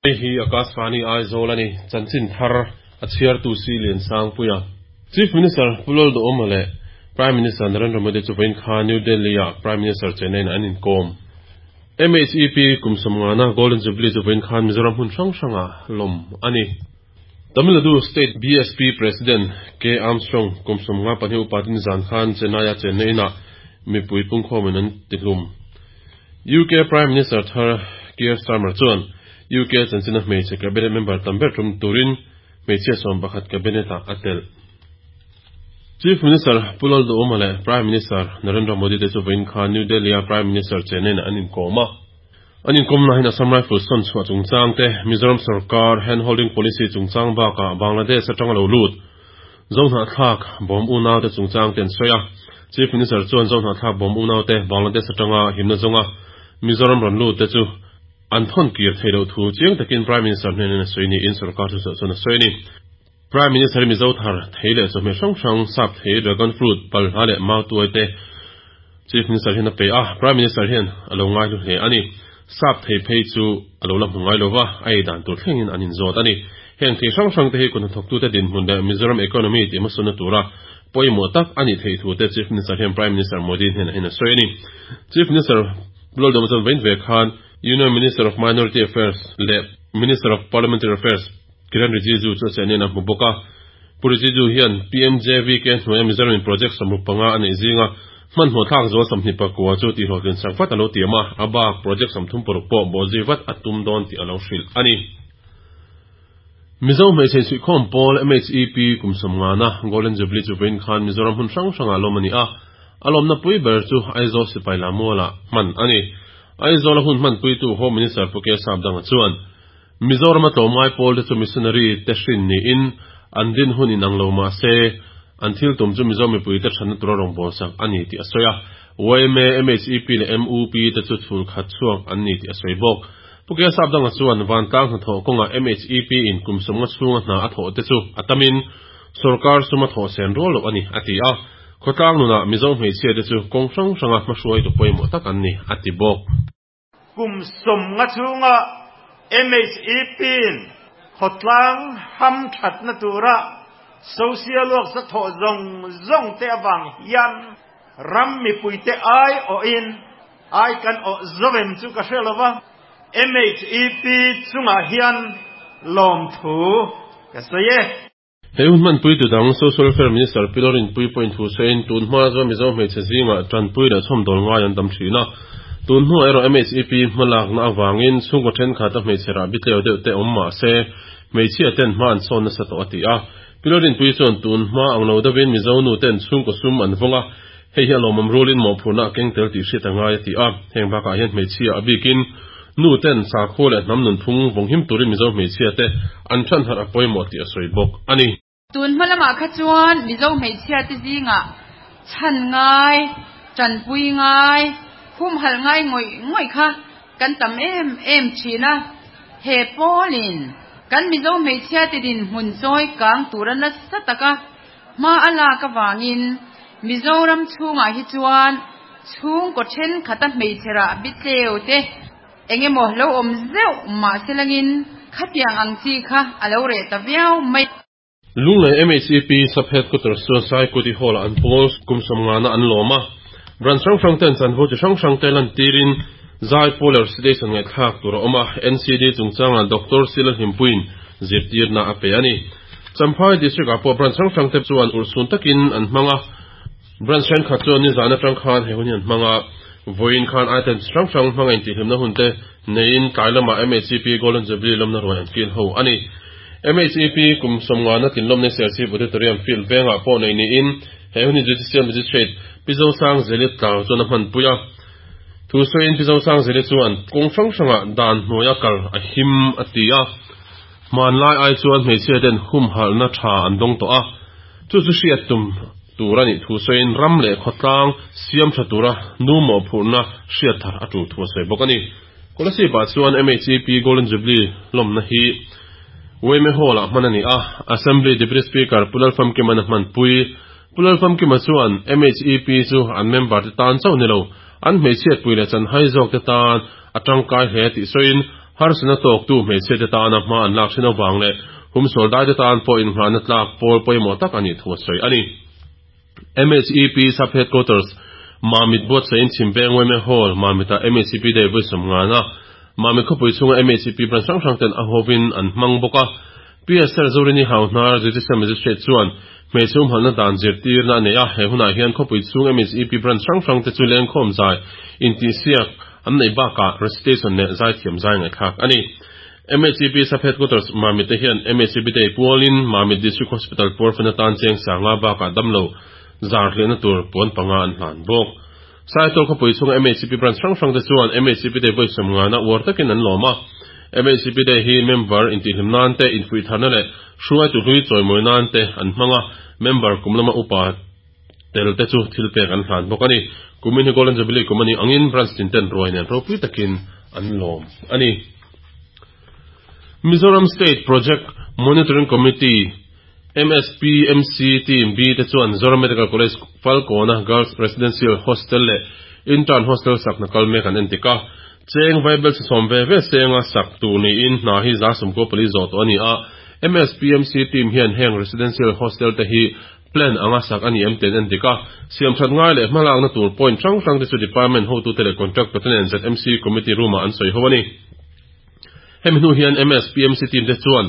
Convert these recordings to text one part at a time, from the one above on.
Hei hi Akashvani Aizawl a ni, chanchin thar a chhiartu si Liansangpuia. Chief Minister Pu Lalduhawma leh Prime Minister Narendra Modi chu vawiin kha New Delhi-ah Prime Minister Chennai-in an inkawm. MHEP kum sawmngana Golden Jubilee chu vawiin khan Mizoram hmun hrang hrangah lawm a ni. Tamil Nadu State BSP President K. Armstrong kum 52 upatin zan khan Chennai-a chenna inah mipui pungkhawmin an tihlum. UK Prime Minister thar Keir Starmer chuan UK chanchina hmeichhe cabinet member tam ber tum turin hmeichhia 11 cabinet-ah a telh. Chief Minister Pu Lalduhawma leh Prime Minister Narendra Modi te chu vawiin khan New Delhi-a Prime Minister Chennai-in an inkawm a. An inkawmna hian Assam Rifles sawn chhuah chungchang te, Mizoram sorkar hand holding policy chungchang bakah Bangladesh atanga lo lut Zohnahthlak bawm unaute chungchang te an sawi a. Chief Minister chuan Zohnahthlak bawm unaute Bangladesh atanga himna zawnga Mizoram rawn lut te chu an thawn kir theih loh thu chiang takin Prime Minister hnenin a sawi niin sorkar thuchhuah chuan a sawi a ni. Prime Minister hi Mizo thar thei leh chawhmeh hrang hrang, sap thei, dragon fruit, palhla leh mautuai te Chief Minister hian a pe a, Prime Minister hian a lo ngaihlu hle a ni. Sap thei phei chu a lo la hmu ngai lova, a ei dan tur thlengin an inzawt a ni. Heng thei hrang hrang te hi kut hnathawktute dinhmun leh Mizoram economy tih hmasawnna tura pawimawh tak a nih theih thu te Chief Minister hian Prime Minister Modi hnenah hian a sawi a ni. Chief Minister Pu Lalduhawma chuan vawiin ve khan Union Minister of Minority Affairs leh Minister of Parliamentary Affairs Kiren Rijiju chu a chehnian a hmu bawk a. Pu Rijiju hian PMJVK hnuaia Mizoramin project 65 a neih zinga hmanhmawh thlak zual 24 chu tihhlawhtlin sak vat a lo tiam a, a bak project 36 pawh bawhzui vat a tum dawn tih a lo hrilh a ni. Mizo hmeichhe insuihkhawm pawl MHEP kum 50na Golden Jubilee chu vawiin khan Mizoram hmun hrang hrangah lawm a ni a, a lawmna pui ber chu Aizawl sipai Lamualah hman a ni. Aizawla hun hmanpuitu Home Minister Pu K Sapdanga chuan, Mizorama tlawmngai pawl te chu missionary te hrin niin an din hun inang lo mah se, an thil tum chu Mizo mipui te thatna tura rawngbawlsak a ni tih a sawi a. YMA, MHEP leh MUP te chu chhul khat chhuak an ni tih a sawi bawk. Pu Kia Sapdanga chuan vantlang hnathawh kawngah MHEP in kum 50 chhunga hna a thawh te chu a tamin sorkar sum a thawh sen rual loh a ni, a ti a. Khawtlang nunah Mizo hmeichhia te chu kawng hrang hranga hmahruaitu pawimawh tak an ni, a ti bawk. Kum 50 chhunga MHEP-in khawtlang ham thatna tura social work sa thawh zawng zawng te avang hian ram mipuite ai awhin ai kan awh zovem chu ka hre lova, MHEP chungah hian lawmthu ka sawi e. He hun hmanpui tu dang Social Welfare Minister Pi Lorinpui pawhin thu sawiin tun hma chuan Mizo hmeichhe zingah tanpui leh chhawmdawl ngai an tam thin a. Tun hnuah erawh MHEP hmalakna avangin chhungkaw thenkhat a hmeichhe rah bitleu deuh te awm mah se hmeichhia ten hma an sawn nasa tawh a ti a. Pi Lorinpui chuan tun hma ang lo deuhin Mizo nu ten chhungkaw sum an vawng a, hei hi a lawmawm rulin mawhphurhna a keng tel tih hriat a ngai a ti a. Heng bakah hian hmeichhia a bikin nu ten sakhua leh hnam nunphung vawnghim turin Mizo hmeichhia te an than harh a pawimawh tih a sawi bawk a ni. Tun hma lamah kha chuan Mizo hmeichhia te zingah chhan ngai, tanpui ngai, humhalh ngai ngawih ngawih kha kan tam em em thin a. He pawlin kan Mizo hmeichhia te dinhmun chawi kang tura nasa taka hma a lak avangin Mizoram chhungah hi chuan chhungkaw thenkhat a hmeichhe rah bitleu te engemaw lo awm zeuh mah se langin khatiang ang chi kha a lo reh ta viau mai. Lunglei MHEP Sub Headquarters chuan Saikuti Hall-ah an pawl kum 50na an lawm a. Branch hrang hrang ten chanvo chi hrang hrang te lantirin zai pawl leh recitation ngaihthlak tur a awm a. NCD chungchangah Doctor Sila Hlimpuiin zirtirna a pe a ni. Champhai District-ah pawh branch hrang hrang te chuan urhsun takin an hmang a. Branch thenkhat chuan nizan atang khan he hun hi an hmang a. Vawiin khan items hrang hrang hmanga intihhlimna hun te neiin tlai lamah MHEP Golden Jubilee lawmna ruai an kil ho a ni. MHEP kum 50na tlinlawmna Serchhip Auditorium field vengah pawh nei niin he hun hi Judicial Magistrate Pi Zosangzeli tlau chuan a hmanpui a. Thu sawiin Pi Zosangzeli chuan kawng hrang hrangah dan hnuaia kal a him a ti a. Hmanlai ai chuan hmeichhia ten humhalhna tha an dawng tawh a, chu chu hriat tum tur a nih thu sawiin ram leh khawtlang siam tha tura nu mawhphurhna hriat thar a tul thu a sawi bawk a ni. Kolasib-ah chuan MHEP Golden Jubilee lawmna hi YMA Hall-ah hman a ni a, Assembly Deputy Speaker Pu Lalfamkima'n a hmanpui. Pu Lalfamkima chuan MHEP chu an member te tan chauh ni lo, an hmeichhiatpui leh chanhai zawk te tan a tangkai hle tih sawiin. Harsatna tawktu hmeichhiate tana hma an lak thin avang leh humsual daite tan pawh innghahna tlak pawl pawimawh tak a nih thu a sawi a ni. MHEP Sub Headquarters, Mamit buatsaih in Chhimveng yma Hall, Mamit-ah MHEP Day vawi sawmngana Mamit khawpui chhunga MHEP branch hrang hrang ten a hovin an hmang bawk a. PSR Zorini Hauhnar, Judicial Magistrate chuan hmeichhe humhalhna dan zirtirna a nei a, he hunah hian khawpui chhung MHEP branch hrang hrang te chu lengkhawm zai intihsiak an neih bakah recitation leh zaithiam zai ngaihthlak a ni. MHEP Sub Headquarters Mamit te hian MHEP Day pualin Mamit District Hospital puarfan atan cheng sanga bakah damlo zar hliahna tur puan panga an hlan bawk. Saitawr khawpui chhunga MHEP branch hrang hrang te chuan MHEP Day vawi sawmngana uar takin an lawm a. MHEP Day hi member intihhlim nan te, infuih tharna leh hruaitu hlui chawimawi nan te an hmang a, member kum lama upa tel te chu thil pek an hlan bawk a ni. Kumin hi Golden Jubilee kum a nih angin branch tin ten ruai nen ropui takin an lawm a ni. Mizoram State Project Monitoring Committee, MSPMC, Team B te chuan Zoram Medical College Falkawna Girls Residential Hostel leh Intern Hostel sakna kal mek an entik a. Cheng vaibel sawm ve ve senga sak tur niin hna hi 14% zawh tawh a ni a. MSPMC team hian heng residential hostel te hi plan anga sak a ni em tih an endik a. Siam that ngai leh hmalakna tur point hrang hrang te chu department hotute leh contractor te nen ZMC committee room-ah an sawi ho a ni. Hemi hnu hian MSPMC team te chuan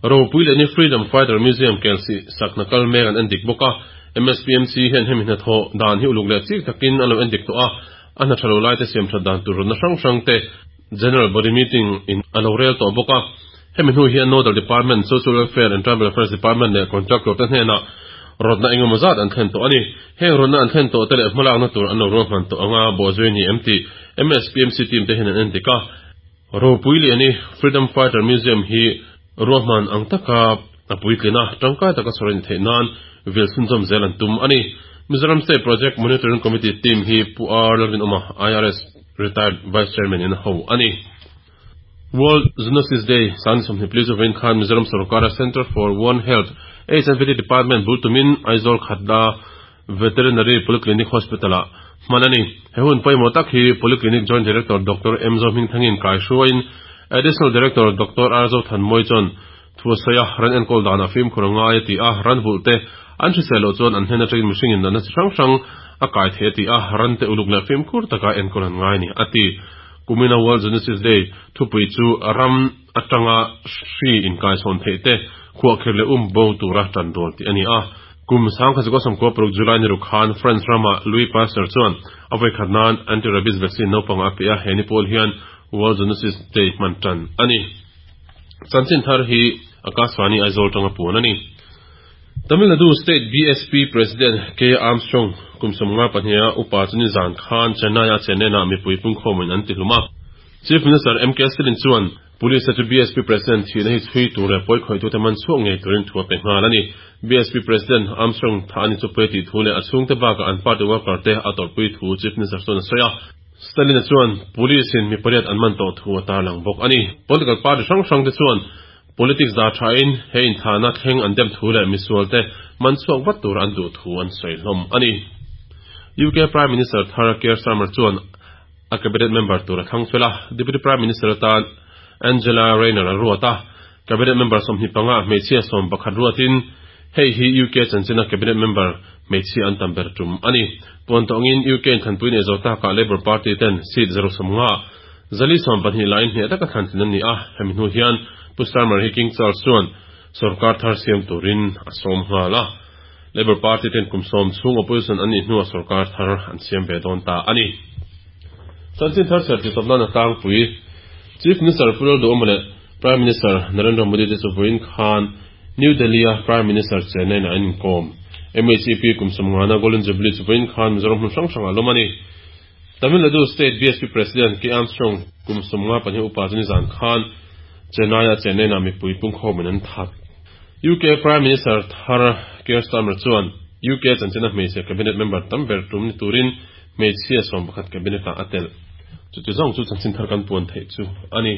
Ropui leh ni Freedom Fighter Museum Kelsih sakna kal mek an endik bawk a. MSPMC hian hemi hnathawh dan hi uluk leh chik takin an lo endik tawh a, a hna tha lo laite siam that dan tur rawtna hrang hrang te General Body Meeting in a lo rel tawh bawk a. Hemi hnu hian Nodal Department, Social Welfare and Tribal Affairs Department leh Contractor te hnenah rawtna engemaw zat an thlen tawh a ni. Heng rawtna an thlen tawh te leh hmalakna tur an lo ruahman tawh anga bawhzui ni em tih MSPMC team te hian an endik a. Ropui Liani Freedom Fighter Museum hi ruahman ang taka a puitlin a, tangkai taka sawi a ni theih nan vil chhunzawm zel an tum a ni. Mizoram State Project Monitoring Committee team hi Pu R Lalrinawma, IRS Retired Vice Chairman in a ho a ni. World Zoonosis Day san 24 chu vawiin khan Mizoram sorkara Centre for One Health, HNVT Department bul tumin Aizawl Khatla Veterinary Polyclinic Hospital-ah hman a ni. He hun pawimawh tak hi Polyclinic Joint Director Doctor M Zohmingthangin kaihruaiin Additional Director Doctor R Zothanmawi chuan thu a sawi a, ran enkawl danah fimkhur a ngai a ti a, ran vulh te an hrisel loh chuan an hnen atangin mihringin natna chi hrang hrang a kai thei a ti a, ran te uluk leh fimkhur taka enkawl an ngai a ni a ti. Kumina World Zoonosis Day thupui chu ram atanga hri inkaichhawn theih te khuahkhirh leh um bo tura tan dawl tih a ni a. Kum 1996 July ni ruk khan France rama Louis Pasteur chuan a vawikhat nan anti-rabies vaccine naupangah a pe a, he ni pawl hian World Zoonosis Day hman tan a ni. Chanchin thar hi Akashvani Aizawl tanga puan a ni. Tamil Nadu State BSP President K Armstrong kum 52 a upa chu nizan khan Chennai-a Chennai-ah mipui pungkhawmin an tihlum a. Chief Minister MK Stalin chuan Police te chu BSP President thihna hi chhui tur leh pawi khawihtute man chhuak ngei turin thu a pe nghal a ni. BSP President Armstrong thah a ni chu pawi tih thu leh a chhungte bakah an party worker te a tawrhpui thu Chief Minister chuan a sawi a. Stalin-a chuan Police in mi pariat an man tawh thu a tarlang bawk a ni. Political party hrang hrang te chuan politics dah thain he inthahna thleng an dem thu leh misual te man chhuak vat tur an duh thu an sawi hlawm a ni. UK Prime Minister thar Keir Starmer chuan A cabinet member tur a thlang fel a, Deputy Prime Minister atan Angela Rayner a ruat a. Cabinet member 25 ah hmeichhia 11 ruatin hei hi UK chanchina cabinet member hmeichhia an tam ber tum a ni. Puan tawh angin UK inthlanpui nei zo takah Labour Party ten seat 150 412 laiin hneh taka thlantlin an ni a, hemi hnu hian Pu Starmer hi King Charles chuan sorkar thar siam turin a sawm nghal a. Labour Party ten kum 10 chhung opposition an nih hnuah sorkar thar an siam ve dawn ta a ni. Chanchin thar serh titawp nan a tlangpui. Chief Minister Pu Lalduhawma leh Prime Minister Narendra Modi te chu vawiin khan New Delhi-a Prime Minister Chennai-ah an inkawm. MHEP kum 50 na Golden Jubilee chu vawiin khan Mizoram hmun hrang hrangah lawm a ni. Tamil Nadu State BSP President K Armstrong kum 52 upa chu nizan khan Chennai-a Chennai-ah mipui pungkhawmin an that. UK Prime Minister thar Keir Starmer chuan UK chanchina hmeichhe cabinet member tam ber tum ni turin hmeichhia 11 cabinet-ah a telh. Chuti zawng chu chanchin thar kan puan theih chu a ni.